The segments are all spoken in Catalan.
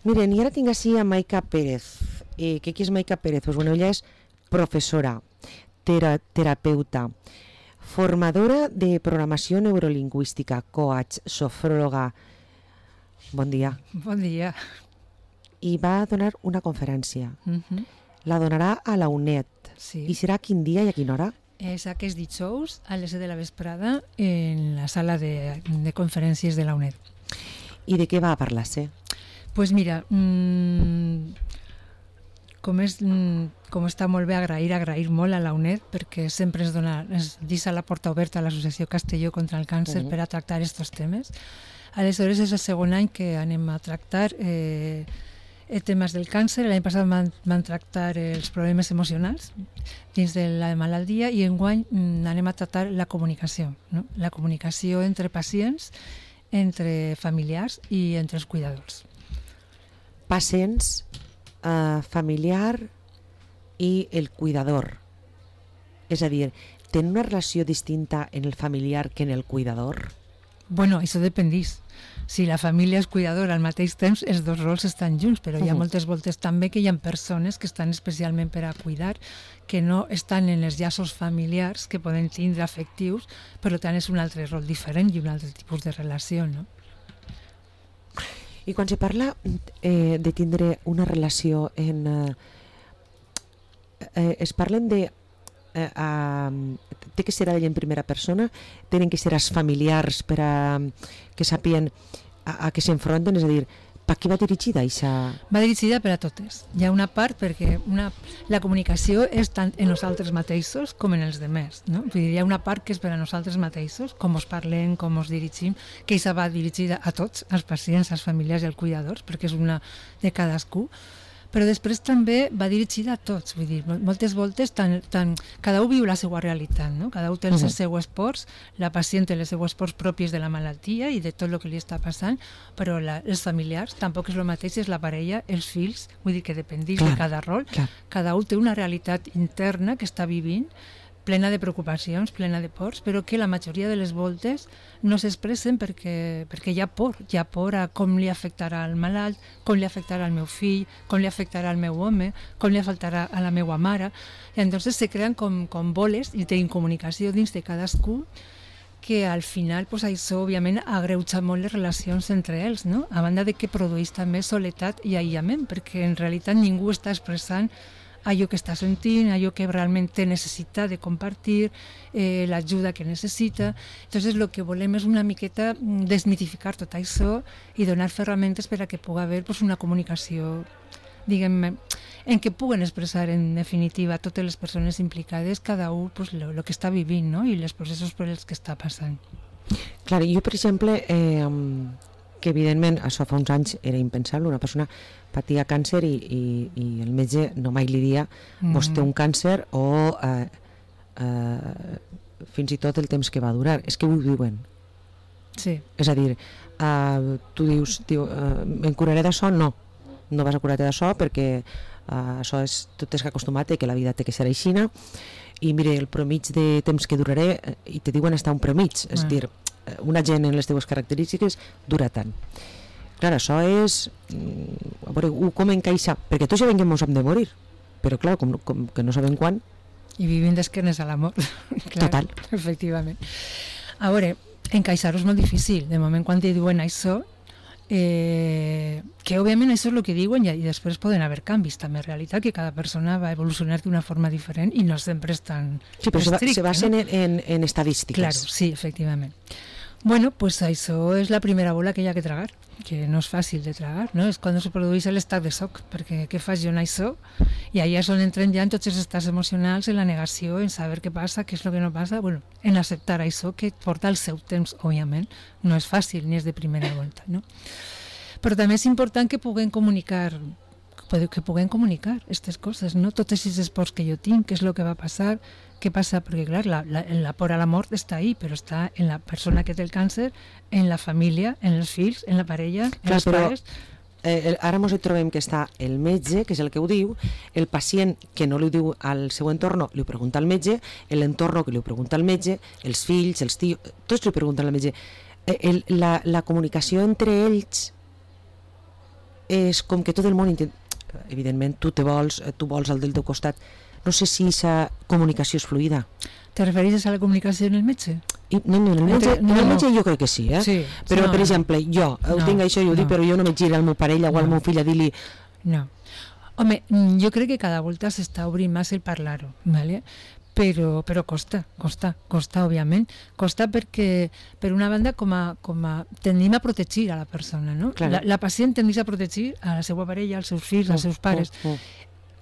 Miren, i ara tinc així a Maica Pérez. Qui és Maica Pérez? Pues bueno, ella és professora, terapeuta, formadora de programació neurolingüística, coach, sofròloga. Bon dia. Bon dia. I va donar una conferència. La donarà a la UNED. Sí. I serà quin dia i a quina hora? És aquest dijous a les 7 de la vesprada en la sala de conferències de la UNED. I de què va parlar-se? Pues mira, com està molt bé agrair molt a la UNED, perquè sempre ens deixa la porta oberta a l'Associació Castelló contra el Càncer per a tractar aquests temes. Aleshores és el segon any que anem a tractar temes del càncer. L'any passat van tractar els problemes emocionals dins de la malaltia i enguany anem a tractar la comunicació, no? La comunicació entre pacients, entre familiars i entre els cuidadors. Pacients, familiar i el cuidador. És a dir, tenen una relació distinta en el familiar que en el cuidador? Bueno, això dependís. Si la família és cuidadora al mateix temps, els dos rols estan junts, però hi ha moltes voltes també que hi ha persones que estan especialment per a cuidar, que no estan en els llaços familiars, que poden tindre afectius, per tant és un altre rol diferent i un altre tipus de relació, no? I quan se parla de tindre una relació es parlen de té que ser ell en primera persona, tenen que ser els familiars per a que sàpien a què s'enfronten, és a dir, per què va dirigida això? Va dirigida per a totes. Hi ha una part perquè la comunicació és tant en nosaltres mateixos com en els demés, no? Vull dir, hi ha una part que és per a nosaltres mateixos, com us parlem, com us dirigim, que això va dirigida a tots, als pacients, als familiars i als cuidadors, perquè és una de cadascú, però després també va dirigida a tots, vull dir, moltes voltes cada un viu la seva realitat, no? Cada un té els seus esports, la pacient té les seues esports pròpies de la malaltia i de tot el que li està passant, però els familiars tampoc és el mateix, és la parella, els fills, vull dir que dependís de cada rol, cada un té una realitat interna que està vivint, plena de preocupacions, plena de pors, però que la majoria de les voltes no s'expressen perquè hi ha por a com li afectarà al malalt, com li afectarà al meu fill, com li afectarà al meu home, com li afectarà a la meva mare. I entonces se creen com boles d'incomunicació dins de cadascú que al final pues, això òbviament agreuja molt les relacions entre ells, no? A banda de que produeix també soledat i aïllament, perquè en realitat ningú està expressant allò que està sentint, allò que realment té necessitat de compartir, l'ajuda que necessita. Entonces, el que volem és una miqueta desmitificar tot això i donar ferramentes per a que pugui haver pues, una comunicació, diguem-ne, en què puguen expressar en definitiva totes les persones implicades, cada un pues, el que està vivint, no? I els processos per els que està passant. Clar, jo, per exemple, que evidentment això fa uns anys era impensable, una persona patia càncer i el metge no mai li dia vos té un càncer o fins i tot el temps que va durar, és que ho diuen. Sí. És a dir, tu dius em curaré d'això? No vas a curar-te d'això perquè això és, tu t'has acostumat que la vida té que ser aixina i mire, el promig de temps que duraré i te diuen estar un promig, és a dir, una gent en les teves característiques dura tant. Clar, això és a veure, com encaixa, perquè tots ja ens hem de morir, però clar, com que no sabem quan. I vivim d'esquenes a la mort. Total. Efectivament. A veure, encaixar-ho és molt difícil. De moment, quan te diuen això, que òbviament això és el que diuen i després poden haver canvis també en realitat, que cada persona va evolucionar d'una forma diferent i no sempre és tan sí, però estricte, se basen en estadístiques. Claro, sí, efectivament. Bueno, pues això és la primera bola que hi ha que tragar, que no és fàcil de tragar, no? És quan se produeix l'estat de xoc, perquè què fas jo en això? I allà és on entren ja en tots els estats emocionals, en la negació, en saber què passa, què és el que no passa, bueno, en acceptar això, que porta el seu temps, òbviament, no és fàcil ni és de primera volta, no? Però també és important que puguem comunicar aquestes coses, no? Totes aquestes pors que jo tinc, què és el que va passar, què passa, perquè clar, la por a la mort està ahí, però està en la persona que té el càncer, en la família, en els fills, en la parella, en els pares. Ara ens trobem que està el metge, que és el que ho diu, el pacient que no li ho diu al seu entorn, li ho pregunta al metge, l'entorn que li ho pregunta al metge, els fills, els tios, tots li ho pregunten al metge. La comunicació entre ells és com que tot el món evidentment tu vols el del teu costat. No sé si aquesta comunicació és fluida. ¿Te referís a la comunicació en el metge? No, en el metge jo crec que sí, Sí, però per exemple, jo tinc això i ho dic, però jo no me giro al meu parella o al meu fill a dir-li... No. Home, jo crec que cada volta s'està obrint més el parlar-ho, ¿vale? Però costa, òbviament. Costa perquè, per una banda, com a tendim a protegir a la persona, no? Claro. La pacient tendeix a protegir a la seva parella, als seus fills, als seus pares.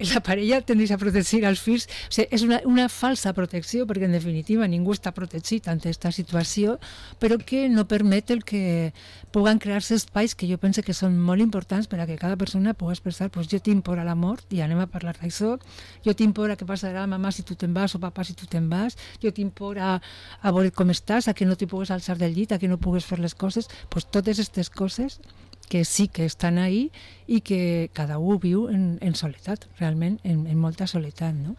La parella tendeix a protegir als fills. O sigui, és una falsa protecció, perquè en definitiva ningú està protegit ante aquesta situació, però que no permet el que puguen crear-se espais que jo penso que són molt importants per a que cada persona pugui expressar, pues, jo tinc por a la mort i anem a parlar d'això, jo tinc por a què passarà mamà si tu te'n vas o papà si tu te'n vas, jo tinc por a veure com estàs, a que no t'hi pugues alçar del llit, a que no pugues fer les coses, pues totes aquestes coses que sí que estan ahí i que cada un viu en soledat, realment, en molta soledat, no?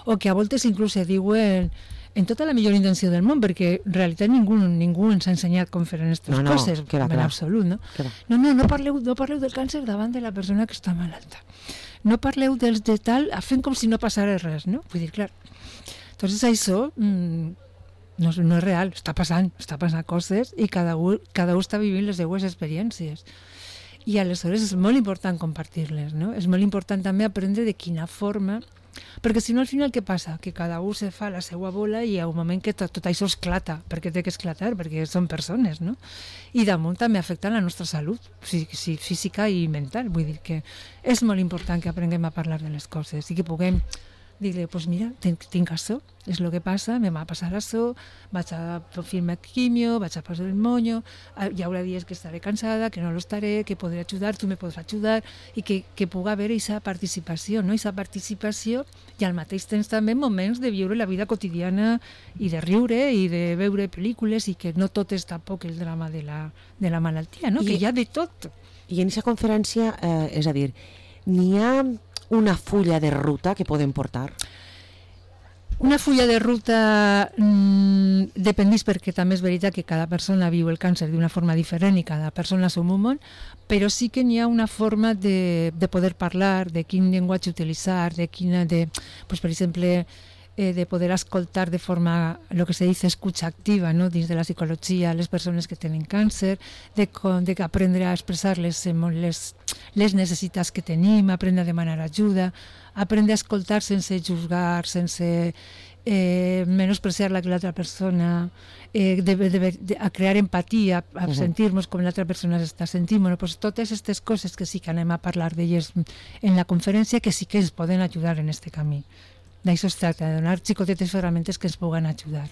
O que a voltes inclús se diuen en tota la millor intenció del món, perquè en realitat ningú ens ha ensenyat com fer aquestes coses, en absolut, no? No parleu del càncer davant de la persona que està malalta. No parleu dels de tal, fent com si no passara res, no? Vull dir, clar, entonces això no és real, està passant coses i cada un està vivint les seues experiències. I aleshores és molt important compartir-les, no? És molt important també aprendre de quina forma, perquè si no al final què passa? Que cada un se fa la seva bola i hi ha un moment que tot això esclata, perquè té que esclatar, perquè són persones, no? I damunt també afecta la nostra salut física i mental, vull dir que és molt important que aprenguem a parlar de les coses i que puguem dir-li, pues mira, tinc això, és el que passa, me va passar això, vaig a fer-me quimio, vaig a passar el monyo, hi haurà dies que estaré cansada, que no lo estaré, que podré ajudar, tu me podràs ajudar, i que pugui haver aquesta participació, no? Aquesta participació i al mateix temps també moments de viure la vida quotidiana i de riure i de veure pel·lícules i que no tot és tampoc el drama de la malaltia, no? Que hi ha de tot. I en aquesta conferència, és a dir, n'hi ha una fulla de ruta que podem portar? Una fulla de ruta dependís, perquè també és veritat que cada persona viu el càncer d'una forma diferent i cada persona som un món, però sí que n'hi ha una forma de poder parlar, de quin llenguatge utilitzar, pues, per exemple, de poder escoltar de forma, lo que se dice escucha activa, ¿no? Dins de la psicologia, les persones que tenen càncer, de aprendre a expressar les necessitats que tenim, aprendre a demanar ajuda, aprendre a escoltar sense juzgar, sense menospreciar l'altra persona, a crear empatia, a sentir-nos com l'altra persona s'està sentint. Bueno, pues totes aquestes coses que sí que anem a parlar d'elles en la conferència, que sí que ens poden ajudar en este camí. D'això es tracta, de donar xicotetes ferramentes que ens puguen ajudar.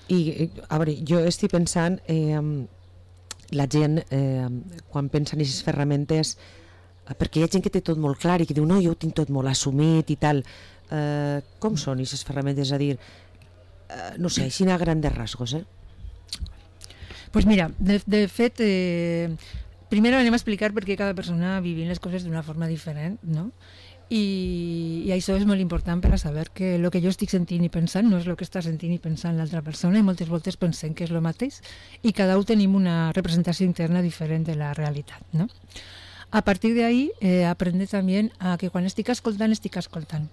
I, a veure, jo estic pensant, la gent, quan pensa en aquestes ferramentes, perquè hi ha gent que té tot molt clar i que diu, no, jo ho tinc tot molt assumit i tal. Com són aquestes ferramentes? És a dir, no sé, així a grandes rasgos, Pues mira, de fet, primer anem a explicar perquè cada persona vivint les coses d'una forma diferent, no? I això és molt important per a saber que el que jo estic sentint i pensant no és el que està sentint i pensant l'altra persona, i moltes voltes pensem que és el mateix i cada un tenim una representació interna diferent de la realitat, no? A partir d'ahí, aprendre també a que quan estic escoltant,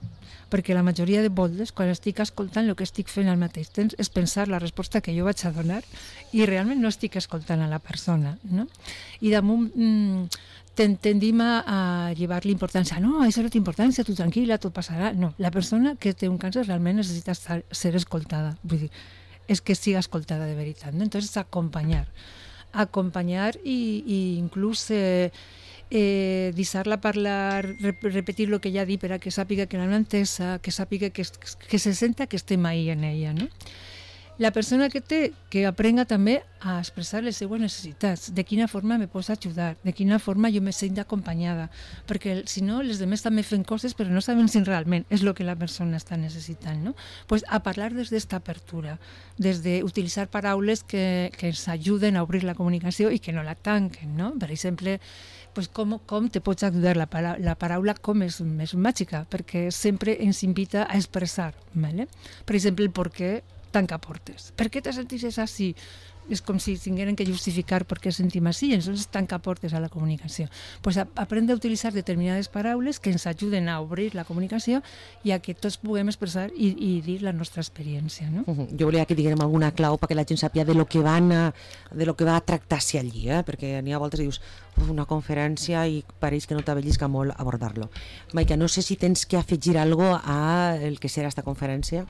perquè la majoria de voltes, quan estic escoltant, el que estic fent al mateix temps és pensar la resposta que jo vaig a donar i realment no estic escoltant a la persona, no? I damunt tendim a llevar l'importància. No, això no té importància, tu tranquil·la, tot passarà. No, la persona que té un càncer realment necessita ser escoltada. Vull dir, és que sigui escoltada de veritat, no? Entonces, acompanyar i inclús deixar-la parlar, repetir el que ja ha dit per a que sàpiga que l'han entesa, que sàpiga que se senta que estem ahí en ella, no? La persona que té, que aprenga també a expressar les seues necessitats, de quina forma me pots ajudar, de quina forma jo me sent acompanyada, perquè si no, les demés també fem coses però no saben si realment és el que la persona està necessitant, no? Pues a parlar des d'esta apertura, des d'utilitzar paraules que ens ajuden a obrir la comunicació i que no la tanquen, no? Per exemple, pues com te pots ajudar? La paraula com és més màgica, perquè sempre ens invita a expressar, ¿vale? Per exemple, el per què tanca portes. Per què te sentisses així? és com si tingueren que justificar per què sentim així, entonces tanca portes a la comunicació. Pues aprendre a utilitzar determinades paraules que ens ajuden a obrir la comunicació i a que tots puguem expressar i dir la nostra experiència, no? Jo volia que diguem alguna clau perquè la gent sàpia de lo que va a tractar-se allí, perquè n'hi ha voltes que dius una conferència i pareix que no t'avellisca molt abordar-lo. Maica, no sé si tens que afegir algo a el que serà esta conferència.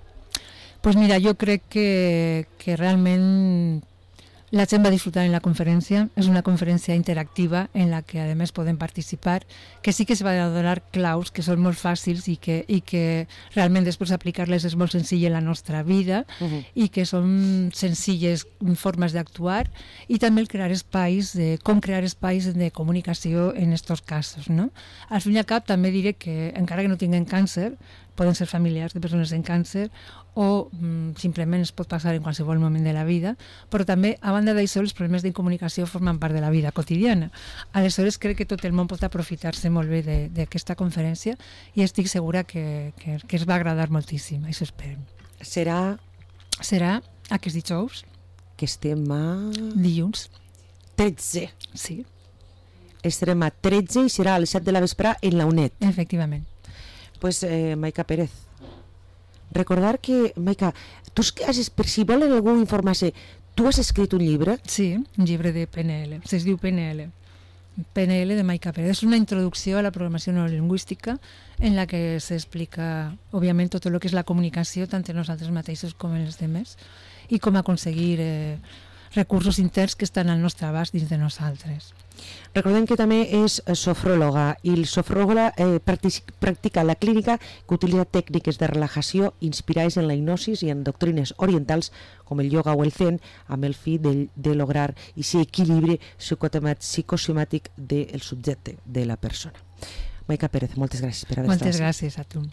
Pues mira, jo crec que realment la gent va disfrutar en la conferència. És una conferència interactiva en la que a més podem participar, que sí que se van a donar claus que són molt fàcils i que realment després aplicar-les és molt senzill en la nostra vida i que són senzilles formes d'actuar, i també el crear espais, com crear espais de comunicació en aquests casos, no? Al fin i al cap també diré que encara que no tinguin càncer, poden ser familiars de persones amb càncer o simplement es pot passar en qualsevol moment de la vida, però també, a banda d'això, els problemes de comunicació formen part de la vida quotidiana. Aleshores, crec que tot el món pot aprofitar-se molt bé d'aquesta conferència i estic segura que es va agradar moltíssim, això esperem. Serà aquest dijous. Que estem a... Dilluns. 13. Sí. Estarem a 13 i serà a les 7 de la vesprà en la UNED. Efectivament. Pues, Maica Pérez, recordar que, Maica, tu per si volen algú informar-se, tu has escrit un llibre? Sí, un llibre de PNL, es diu PNL. PNL de Maica Pérez. És una introducció a la programació neurolingüística en la que s'explica, òbviament, tot el que és la comunicació, tant en nosaltres mateixos com en els demés, i com aconseguir recursos interns que estan al nostre abast dins de nosaltres. Recordem que també és sofròloga i el sofròloga practica la clínica que utilitza tècniques de relajació inspirades en la hipnosis i en doctrines orientals com el yoga o el zen, amb el fi de lograr aquest equilibri psicosomàtic del subjecte, de la persona. Maica Pérez, moltes gràcies per haver estat. Moltes gràcies a tu.